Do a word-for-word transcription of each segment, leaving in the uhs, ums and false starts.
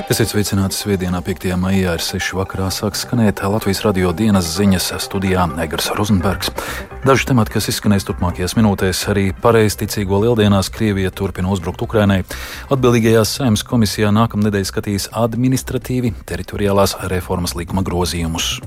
Esiet sveicināti svētdienā, piektajā maijā ar sešu vakarā sāk skanēt Latvijas radio dienas ziņas studijā Egars Rozenbergs. Daži temati, kas izskanēs turpmākajās minūtēs, arī pareizticīgo lieldienās Krievija turpina uzbrukt Ukrainai. Atbildīgajā Saeimas komisijā nākamnedēļ skatīs administratīvi teritoriālās reformas likuma grozījumus.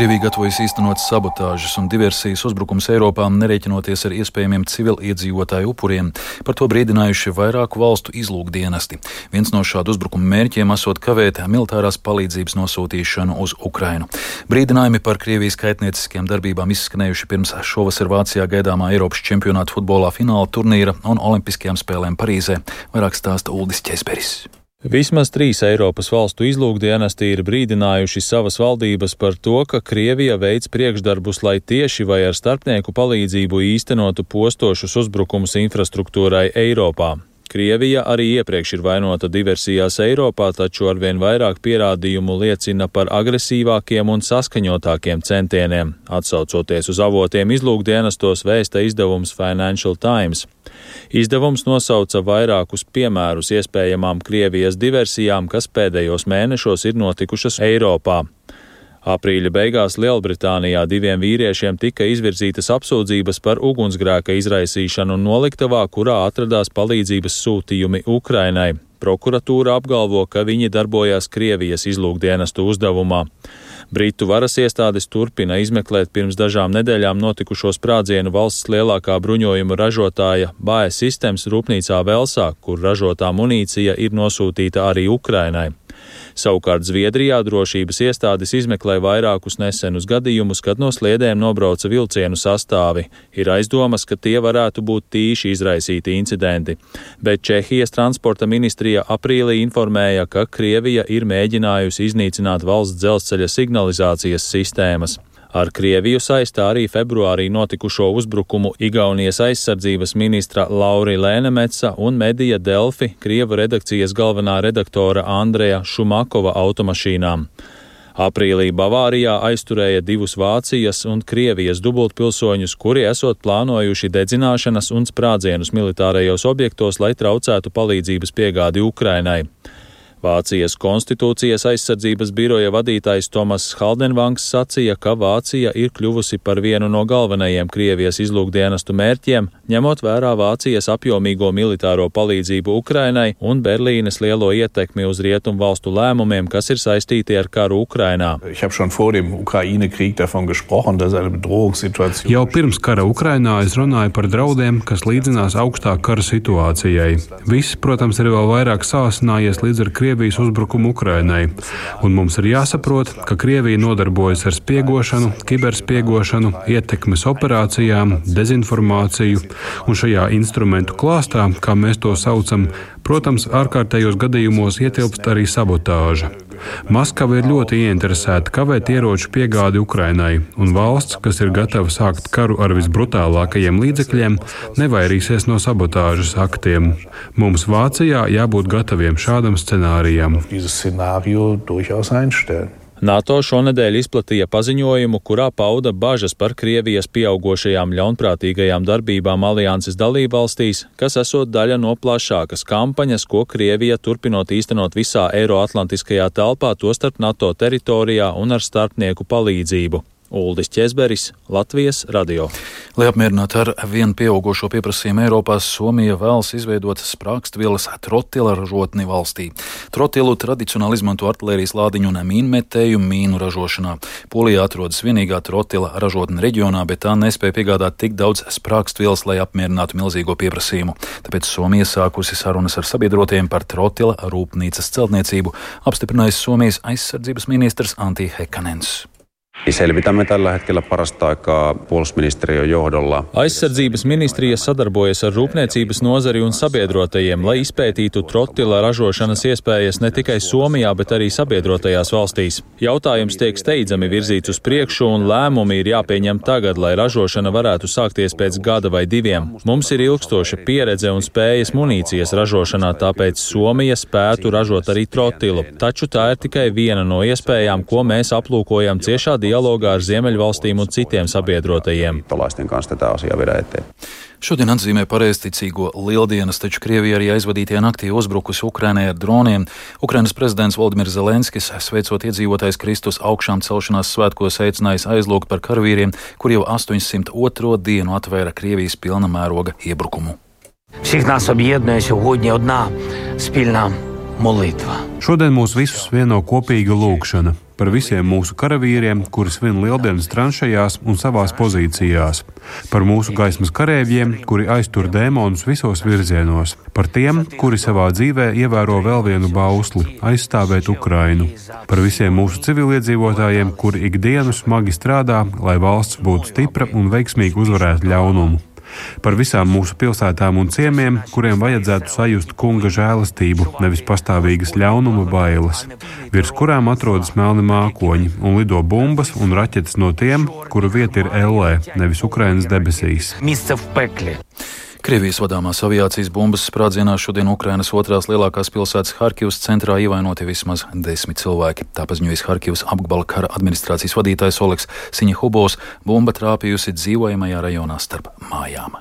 Krievija gatavojas īstenot sabotāžas un diversijas uzbrukums Eiropā, nerēķinoties ar iespējamiem civiliedzīvotāju upuriem. Par to brīdinājuši vairāku valstu izlūkdienesti. Viens no šādu uzbrukumu mērķiem esot kavēt militārās palīdzības nosūtīšanu uz Ukrainu. Brīdinājumi par Krievijas kaitnieciskiem darbībām izskanējuši pirms šovasar Vācijā gaidāmā Eiropas čempionāta futbolā fināla turnīra un olimpiskajām spēlēm Parīzē. Vairāk stāsta Uldis Ķesberis. Vismaz trīs Eiropas valstu izlūkdienesti ir brīdinājuši savas valdības par to, ka Krievija veic priekšdarbus, lai tieši vai ar starpnieku palīdzību īstenotu postošus uzbrukumus infrastruktūrai Eiropā. Krievija arī iepriekš ir vainota diversijās Eiropā, taču arvien vairāk pierādījumu liecina par agresīvākiem un saskaņotākiem centieniem. Atsaucoties uz avotiem izlūkdienestos, vēsta izdevums Financial Times. Izdevums nosauca vairākus piemērus iespējamām Krievijas diversijām, kas pēdējos mēnešos ir notikušas Eiropā. Aprīļa beigās Lielbritānijā diviem vīriešiem tika izvirzītas apsūdzības par ugunsgrēka izraisīšanu noliktavā, kurā atradās palīdzības sūtījumi Ukrainai. Prokuratūra apgalvo, ka viņi darbojās Krievijas izlūkdienestu uzdevumā. Britu varas iestādes turpina izmeklēt pirms dažām nedēļām notikušo sprādzienu valsts lielākā bruņojuma ražotāja B A E Systems rūpnīcā Velsā, kur ražotā munīcija ir nosūtīta arī Ukrainai. Savukārt Zviedrijā drošības iestādes izmeklē vairākus nesenus gadījumus, kad no sliedēm nobrauca vilcienu sastāvi. Ir aizdomas, ka tie varētu būt tīši izraisīti incidenti. Bet Čehijas transporta ministrija aprīlī informēja, ka Krievija ir mēģinājusi iznīcināt valsts dzelzceļa signalizācijas sistēmas. Ar Krieviju saistā arī februārī notikušo uzbrukumu Igaunijas aizsardzības ministra Lauri Lēnemetsa un medija Delfi Krievu redakcijas galvenā redaktora Andreja Šumakova automašīnām. Aprīlī Bavārijā aizturēja divus Vācijas un Krievijas dubultpilsoņus, kuri esot plānojuši dedzināšanas un sprādzienus militārajos objektos, lai traucētu palīdzības piegādi Ukrainai. Vācijas konstitūcijas aizsardzības biroja vadītājs Tomas Haldenvangs sacīja, ka Vācija ir kļuvusi par vienu no galvenajiem Krievijas izlūkdienestu mērķiem, ņemot vērā Vācijas apjomīgo militāro palīdzību Ukrainai un Berlīnes lielo ietekmi uz rietumu valstu lēmumiem, kas ir saistīti ar karu Ukrainā. Jau pirms kara Ukrainā es runāju par draudiem, kas līdzinās augstā kara situācijai. Viss, protams, ir vēl vairāk sāsinājies līdz ar Krievijas Krievijas uzbrukumu Ukrainai, un mums ir jāsaprot, ka Krievija nodarbojas ar spiegošanu, kiberspiegošanu, ietekmes operācijām, dezinformāciju, un šajā instrumentu klāstā, kā mēs to saucam, protams, ārkārtējos gadījumos ietilpst arī sabotāža. Maskava ir ļoti ieinteresēta kavēt ieroču piegādi Ukrainai, un valsts, kas ir gatava sākt karu ar visbrutālākajiem līdzekļiem, nevairīsies no sabotāžas aktiem. Mums Vācijā jābūt gataviem šādam scenārijam. NATO šonedēļ izplatīja paziņojumu, kurā pauda bažas par Krievijas pieaugošajām ļaunprātīgajām darbībām alianses dalībvalstīs, kas esot daļa no plašākas kampaņas, ko Krievija turpinot īstenot visā Eiroatlantiskajā telpā, tostarp NATO teritorijā un ar starpnieku palīdzību. Uldis Ķesberis, Latvijas radio. Lai apmierinātu ar vien pieaugošo pieprasījumu Eiropā, Somija vēlas izveidot sprākstvielas trotila ražotni valstī. Trotilu tradicionāli izmanto artilērijas lādiņu un mīnmetēju mīnu ražošanā. Polijā atrodas vienīgā trotila ražotne reģionā, bet tā nespēja piegādāt tik daudz sprākstvielas, lai apmierinātu milzīgo pieprasījumu. Tāpēc Somija sākusi sarunas ar sabiedrotiem par trotila rūpnīcas celtniecību, apstiprinājis Somijas aizsardzības ministrs Antti Häkkanens. Selvitämme tällä hetkellä parasta aikaa puolustusministeriön johdolla. Aizsardzības ministrija sadarbojas ar rūpniecības nozari un sabiedrotajiem, lai izpētītu trotila ražošanas iespējas ne tikai Somijā, bet arī sabiedrotajās valstīs. Jautājums tiek steidzami virzīts uz priekšu un lēmumi ir jāpieņem tagad, lai ražošana varētu sākties pēc gada vai diviem. Mums ir ilgstoša pieredze un spējas munīcijas ražošanā, tāpēc Somija spētu ražot arī trotilu. Taču tā ir tikai viena no iespējām, ko mēs aplūkojam ciešā dialogā dialogā ar Ziemeļvalstīm un citiem sabiedrotajiem. Šodien atzīmē pareizticīgo lieldienas, taču Krievija arī aizvadītajā naktī uzbrukusi Ukrainai ar droniem. Ukrainas prezidents Volodimirs Zelenskis, sveicot iedzīvotājs Kristus augšām celšanās svētkos, aicinājis aizlūgt par karavīriem, kur jau astoņsimt otro dienu atvēra Krievijas pilna mēroga iebrukumu. Всіх нас об'єднує сьогодні одна спільна молитва. Šodien mūs visus vieno kopīga lūgšana par visiem mūsu karavīriem, kuri svin lieldienas tranšajās un savās pozīcijās, par mūsu gaismas karēvjiem, kuri aiztur dēmonus visos virzienos, par tiem, kuri savā dzīvē ievēro vēl vienu bausli – aizstāvēt Ukrainu, par visiem mūsu civiliedzīvotājiem, kuri ikdienu smagi strādā, lai valsts būtu stipra un veiksmīgi uzvarētu ļaunumu. Par visām mūsu pilsētām un ciemiem, kuriem vajadzētu sajust kunga žēlastību, nevis pastāvīgas ļaunuma bailes, virs kurām atrodas melni mākoņi un lido bumbas un raķetes no tiem, kuru vieta ir ellē, nevis Ukrainas debesīs. Krievijas vadāmās aviācijas bumbas sprādzienā šodien Ukrainas otrās lielākās pilsētas Harkivas centrā ievainoti vismaz desmit cilvēki. Tā paziņojis Harkivas apgabala kara administrācijas vadītājs Oleks Siņihubovs. Bumba trāpījusi dzīvojamajā rajonā starp mājām.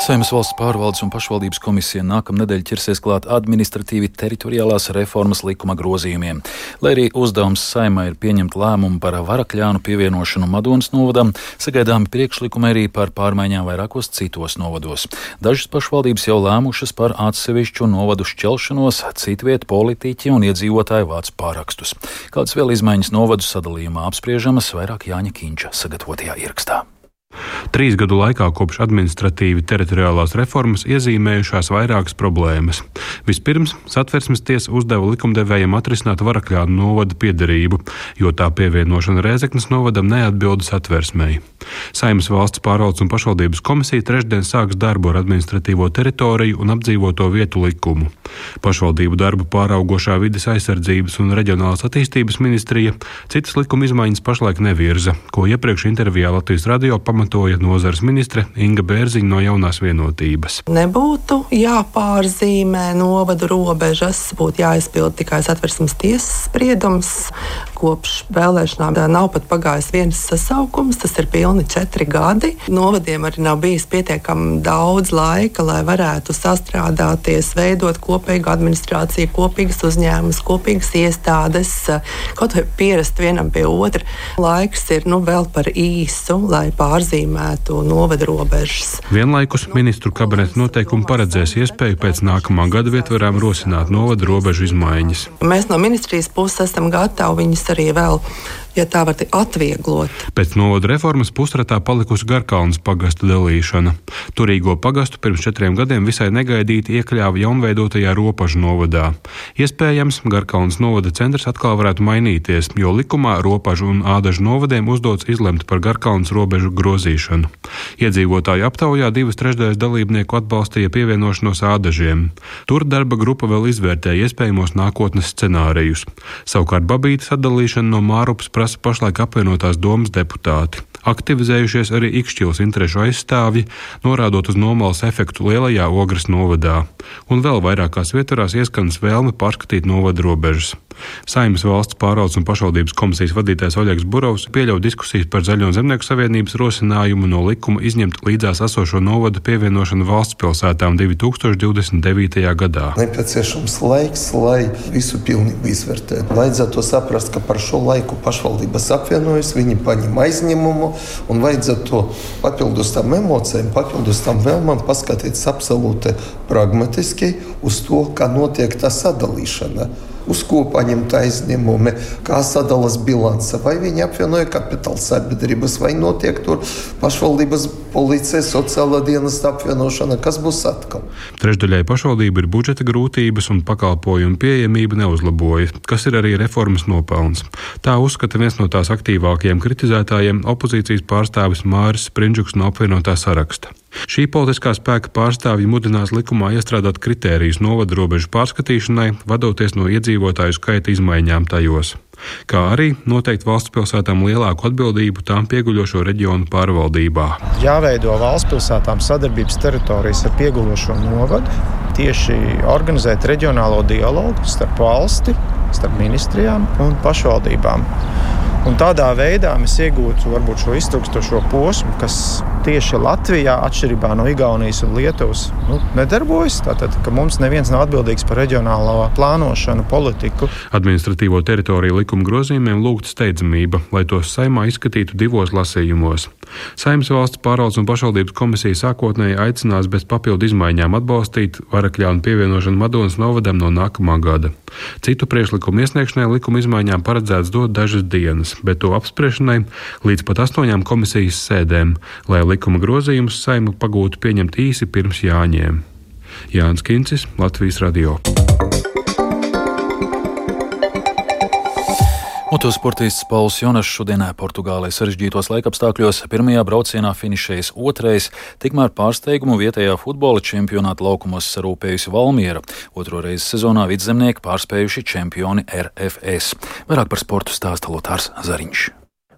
Saeimas valsts pārvaldes un pašvaldības komisija nākamnedēļ ķersies klāt administratīvi teritoriālās reformas likuma grozījumiem. Lai arī uzdevums Saeimai ir pieņemt lēmumu par Varakļānu pievienošanu Madonas novadam, sagaidāmi priekšlikumi arī par pārmaiņām vairākos citos novados. Dažas pašvaldības jau lēmušas par atsevišķu novadu šķelšanos, citviet politiķi un iedzīvotāji vāc pārakstus. Kādas vēl izmaiņas novadu sadalījumā apspriežamas, vairāk Jāņa Kīņša sagatavotajā ierakstā. Trīs gadu laikā kopš administratīvi teritoriālās reformas iezīmējušās vairākas problēmas. Vispirms Satversmes tiesa uzdeva likumdevējiem atrisināt Varakļānu novada piederību, jo tā pievienošana Rēzeknes novadam neatbilda Satversmei. Saeimas valsts pārvaldes un pašvaldības komisija trešdien sāks darbu ar administratīvo teritoriju un apdzīvoto vietu likumu. Pašvaldību darbu pāraugošā vides aizsardzības un reģionālās attīstības ministrija citas likuma izmaiņas pašlaik nevirza, ko iepriekš intervijā Latvijas radio pamatoja nozares ministre Inga Bērziņa no Jaunās vienotības. Nebūtu jāpārzīmē novadu robežas, būtu jāizpild tikai Satversmes tiesas spriedums. Kopš vēlēšanām nav pat pagājis viens sasaukums, tas ir pilni četri gadi. Novadiem arī nav bijis pietiekami daudz laika, lai varētu sastrādāties, veidot kopīgu administrāciju, kopīgas uzņēmumus, kopīgas iestādes, kaut vai pierast vienam pie otra. Laiks ir nu vēl par īsu, lai pārzīmētu novadu robežas. Vienlaikus ministru kabineta noteikumi paredzēs iespēju pēc nākamā gada vietvarām rosināt novadu robežu izmaiņas. Mēs no ministrijas puses esam gatavi viņus arī vēl, ja tā var atvieglot. Pēc novadu reformas pusratā palikusi Garkalnes pagasta dalīšana. Turīgo pagastu pirms četriem gadiem visai negaidīti iekļāva jaunveidotajā Ropažu novadā. Iespējams, Garkalnes novada centrs atkal varētu mainīties, jo likumā Ropažu un Ādažu novadiem uzdots izlemt par Garkalnes robežu grozīšanu. Iedzīvotāju aptaujā divas trešdaļas dalībnieku atbalstīja pievienošanos Ādažiem. Tur darba grupa vēl izvērtēja iespējamos nākotnes scenārijus. Savukārt Babītes atdalīšana no Mārupas prasa pašlaik apvienotās domas deputāti. Aktivizējušies arī Ikšķilas interešu aizstāvji, norādot uz nomalas efektu lielajā Ogres novadā. Un vēl vairākās vietvarās ieskanas vēlme pārskatīt novadu robežas. Saeimas valsts pārvaldes un pašvaldības komisijas vadītājs Oļegs Burovs pieļauj diskusijas par Zaļo zemnieku savienības rosinājumu no likuma izņemt līdzās esošo novadu pievienošanu valsts pilsētām divi tūkstoši divdesmit devītajā gadā. Nepieciešams laiks, lai visu pilnību izvērtētu. Vajadzētu saprast, ka par šo laiku pašvaldības apvienojas, viņi paņem aizņemumu un vajadzētu to papildus tam emocijām, papildus tam vēlmām paskatīties absolūti pragmatiski uz to, kā notiek tā sadalīšana. Uz ko paņemt aizņemumi, kā sadalas bilanse, vai viņi apvienoja kapitāla sabiedrības, vai notiek tur pašvaldības policija, sociālā dienesta apvienošana, kas būs atkal. Trešdaļai pašvaldība ir budžeta grūtības un pakalpojumu pieejamība neuzlaboja, kas ir arī reformas nopelns. Tā uzskata viens no tās aktīvākajiem kritizētājiem opozīcijas pārstāvis Māris Sprindžuks no apvienotā saraksta. Šī politiskā spēka pārstāvji mudinās likumā iestrādāt kritērijus novadu robežu pārskatīšanai, vadoties no iedzīvotāju skaita izmaiņām tajos, kā arī noteikt valsts pilsētām lielāku atbildību tām pieguļošo reģionu pārvaldībā. Jāveido valsts pilsētām sadarbības teritorijas ar pieguļošo novadu, tieši organizēt reģionālo dialogu starp valsti, starp ministrijām un pašvaldībām. Un tādā veidā mēs iegūtu varbūt šo iztrukstošo posmu, kas tieši Latvijā, atšķirībā no Igaunijas un Lietuvas, nu, nedarbojas. Tātad, ka mums neviens nav atbildīgs par reģionālo plānošanu, politiku. Administratīvo teritoriju likuma grozījumiem lūgta steidzamība, lai tos Saeimā izskatītu divos lasījumos. Saeimas valsts pārvaldes un pašvaldības komisija sākotnēji aicinās bez papildu izmaiņām atbalstīt Varakļānu pievienošanu Madonas novadam no nākamā gada. Citu priekšlikumu iesniegšanai likuma izmaiņām paredzēts dot dažas dienas, bet to apspriešanai līdz pat astoņām komisijas sēdēm, lai likuma grozījumus Saeimu pagūtu pieņemt īsi pirms Jāņiem. Jānis Kincis, Latvijas radio. Motosportists Pauls Jonass šodien Portugālē sarežģītos laikapstākļos pirmajā braucienā finišējis otrais, tikmēr pārsteigumu vietējā futbola čempionāta laukumos sarūpējusi Valmiera. Otro reizi sezonā vidzemnieki pārspējuši čempioni R F S. Vairāk par sportu stāsta Lotārs Zariņš.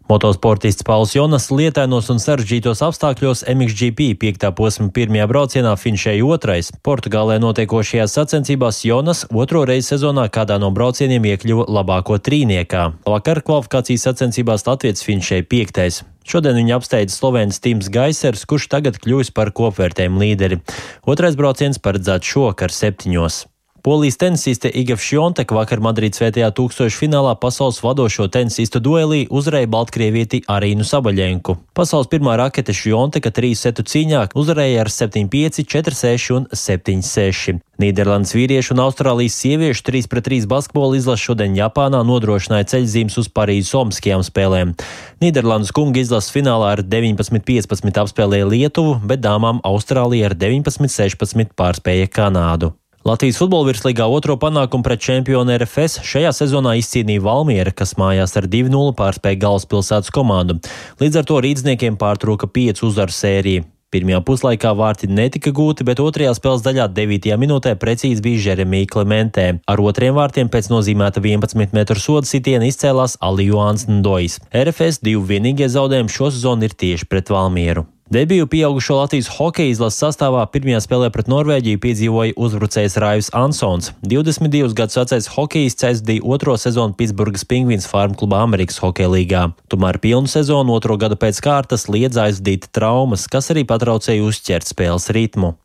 Motosportists Pauls Jonass lietainos un sarežģītos apstākļos M X G P piektā posma pirmajā braucienā finišēja otrais. Portugālē notiekošajās sacensībās Jonass otro reizi sezonā kādā no braucieniem iekļuva labāko trīniekā. Vakar kvalifikācijas sacensībās latvietis finišēja piektais. Šodien viņa apsteidza slovēns Tims Gaisers, kurš tagad kļuvis par kopvērtējumu līderi. Otrais brauciens paredzēts šovakar septiņos. Polijas tenisiste Iga Świątek vakar Madrīdas svētajā tūkstošu finālā pasaules vadošo tenisistu duelī uzvarēja baltkrievieti Arīnu Sabaļenku. Pasaules pirmā rakete Świąteka trīs setu cīņā uzvarēja ar septiņi pieci, četri seši un septiņi seši. Nīderlandes vīriešu un Austrālijas sieviešu trīs pret trīs basketbola izlase šodien Japānā nodrošināja ceļzīmes uz Parīzes olimpiskajām spēlēm. Nīderlandes kunga izlases finālā ar deviņpadsmit piecpadsmit apspēlēja Lietuvu, bet dāmām Austrālija ar deviņpadsmit sešpadsmit pārspēja Kanādu. Latvijas futbola virslīgā otro panākumu pret čempionu R F S šajā sezonā izcīnīja Valmiera, kas mājās ar divi nulle pārspēja galvaspilsētas komandu. Līdz ar to rīdzniekiem pārtrūka piecu uzvaru sēriju. Pirmajā puslaikā vārti netika gūti, bet otrajā spēles daļā devītajā minūtē precīzi bija Jeremija Klementē. Ar otriem vārtiem pēc nozīmēta vienpadsmit metru soda sitiena izcēlās Alijoāns Ndojs. R F S divi vienīgie zaudējumi šo sezonu ir tieši pret Valmieru. Debiju pieaugušo Latvijas hokeja izlases sastāvā pirmajā spēlē pret Norvēģiju piedzīvoja uzbrucējs Raivs Ansons. divdesmit divus gadus vecais hokejists aizdīja otro sezonu Pitsburgas Pingvīns Farm klubā Amerikas hokeja līgā. Tomēr pilnu sezonu otro gadu pēc kārtas liedz aizdīt traumas, kas arī patraucēja uzķert spēles ritmu.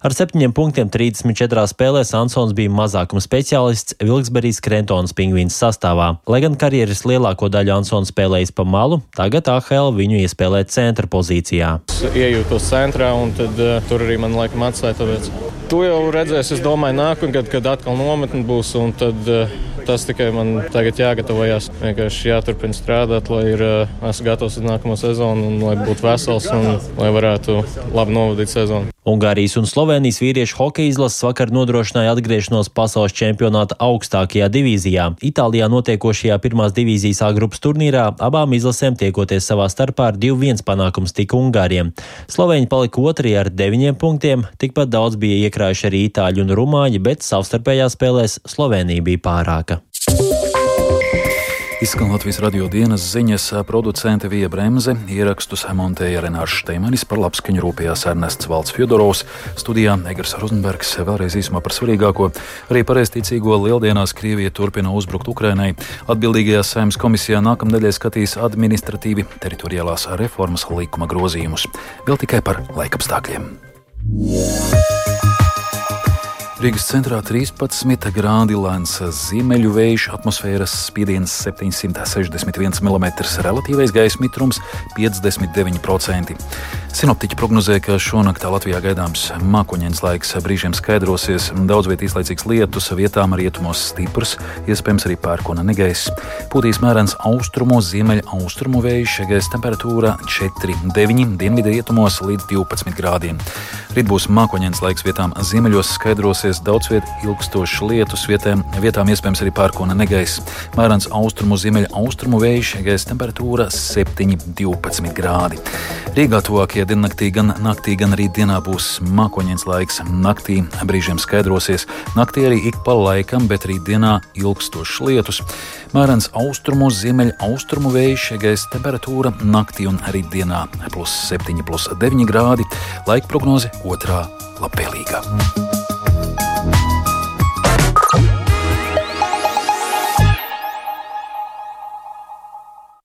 Ar septiņiem punktiem trīsdesmit četrās spēlēs Ansons bija mazākuma speciālists Vilksberijas Krentonas Pingvīns sastāvā. Lai gan karjeras lielāko daļu Ansons spēlējis pa malu, tagad A H L viņu iespēlē centra pozīcijā. Iejūtos centrā, un tad uh, tur arī man laikam atstāja tāpēc. To jau redzēs, es domāju, nākamgad, kad atkal nometni būs, un tad uh, tas tikai man tagad jāgatavojās. Vienkārši jāturpina strādāt, lai ir, uh, esmu gatavs uz nākamo sezonu, un lai būtu vesels, un lai varētu labi novadīt sezonu. Ungārijas un Slovēnijas vīriešu hokeja izlases vakar nodrošināja atgriešanos pasaules čempionāta augstākajā divīzijā. Itālijā notiekošajā pirmās divīzijas A grupas turnīrā abām izlasēm tiekoties savā starpā ar divi viens panākums tika Ungāriem. Slovēņi palika otrie ar deviņiem punktiem, tikpat daudz bija iekrājuši arī itāļi un rumāņi, bet savstarpējās spēlēs Slovēnija bija pārāka. Izskan Latvijas radio dienas ziņas, producente Vija Bremze, ierakstus montēja Renārs Šteimanis, par labskaņu rūpējās Ernests Valds Fjodorovs, studijā Egars Rozenbergs. Vēlreiz īsumā par svarīgāko. Arī pareizticīgo lieldienās Krievija turpina uzbrukt Ukrainai. Atbildīgajā Saeimas komisijā nākamnedēļ skatīs administratīvi teritoriālās reformas likuma grozījumus. Vēl tikai par laikapstākļiem. Rīgas centrā trīspadsmit grādi lēns ziemeļu vējš, atmosfēras spiediens septiņsimt sešdesmit viens milimetrs, relatīvais gaisa mitrums piecdesmit deviņi procenti. Sinoptiķi prognozē, ka šonaktā Latvijā gaidāms mākoņains laiks, brīžiem skaidrosies, daudz viet īslaicīgs lietus, vietām rietumos stiprs, iespējams arī pērkona negaiss. Pūtīs mērens austrumu, ziemeļa austrumu vējš, gaisa temperatūra četri deviņi, dienvidu rietumos līdz divpadsmit grādiem. Rīt būs mākoņains laiks, vietām ziemeļos skaidrosies, daudz viet ilgstošs lietus, vietām, vietām iespējams arī pērkona negaiss. Mērens austrumu, ziemeļa austrumu vējš, gaisa temperatūra septiņi divpadsmit grādi. Rīgā tuvākajā diennaktī gan naktī, gan arī dienā būs mākoņains laiks. Naktī brīžiem skaidrosies, naktī arī ik pa laikam, bet arī dienā ilgstošs lietus. Mērens austrumu, ziemeļa austrumu vējš, gaisa temperatūra naktī un arī dienā plus septiņi, plus deviņi grādi. Laika prognoze otrā labvēlīgā.